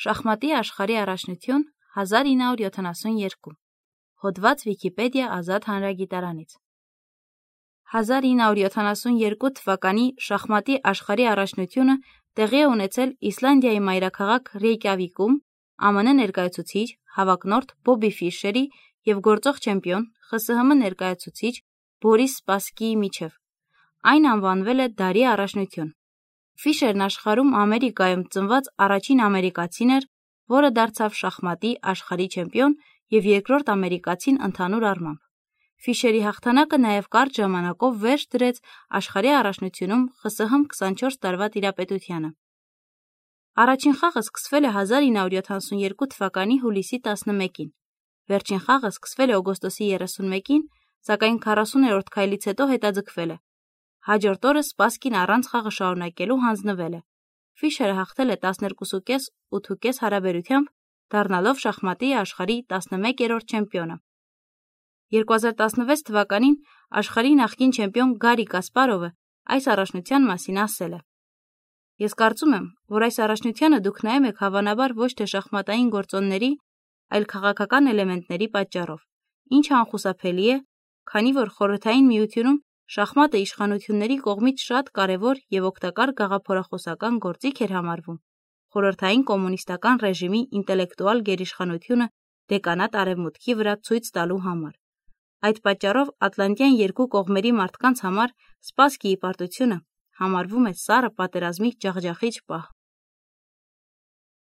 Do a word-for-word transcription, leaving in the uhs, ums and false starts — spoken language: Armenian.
Շախմատի աշխարհի առաջնություն հազար ինը հարյուր յոթանասունյերկու Հոդված Վիկիպեդիա ազատ հանրագիտարանից հազար ինը հարյուր յոթանասունյերկու թվականի շախմատի աշխարհի առաջնությունը տեղի է ունեցել Իսլանդիայի մայրաքաղաք Ռեյկյավիկում ԱՄՆ ներկայացուցիչ հավակնորդ Բոբի Ֆիշերի և գործող չեմպիոն Խ Ս Հ Մ ներկայացուցիչ Բորիս Սպասկիի միջև։ Այն անվանվել է դարի առաջնություն։ Ֆիշերն աշխարհում Ամերիկայում ծնված առաջին ամերիկացին էր, որը դարձավ շախմատի աշխարհի չեմպիոն և երկրորդ ամերիկացին ընդհանուր առմամբ։ Ֆիշերի հաղթանակը նաև կարճ ժամանակով վերջ դրեց աշխարհի առաջնությունում Խ Ս Հ Մ քսանչորս տարվա տիրապետությանը։ Առաջին խաղը սկսվել է հազար ինը հարյուր յոթանասունյերկու թվականի հուլիսի տասնմեկին։ Վերջին խաղը սկսվել է օգոստոսի երեսունմեկին, սակայն քառասուներորդ քայլից հետո հետաձգվել է։ Հաջորդ օրը Սպասկին առանց խաղը շարունակելու հանձնվել է։ Ֆիշերը հաղթել է տասներկուսուկես ութուկես հարաբերությամբ, դառնալով շախմատի աշխարհի տասնմեկերորդ չեմպիոնը։ երկու հազար տասնվեց թվականին աշխարհի նախկին չեմպիոն Գարի Կասպարովը այս առաջնության մասին ասել է. «Ես կարծում եմ, որ այս առաջնությանը դուք նայում եք հավանաբար ոչ թե շախմատային գործոնների, այլ քաղաքական էլեմենտների պատճառով, ինչը անխուսափելի է, քանի որ Խորհրդային Միությունում շախմատը իշխանությունների կողմից շատ կարևոր և օգտակար գաղափարախոսական գործիք էր համարվում խորհրդային կոմունիստական ռեժիմի ինտելեկտուալ գերիշխանությունը դեկանատ Արևմուտքի վրա ցույց տալու համար։ Այդ պատճառով Ատլանտյան երկու կողմերի մարդկանց համար Սպասկիի պարտությունը համարվում է սառը պատերազմի ջախջախիչ պահ»։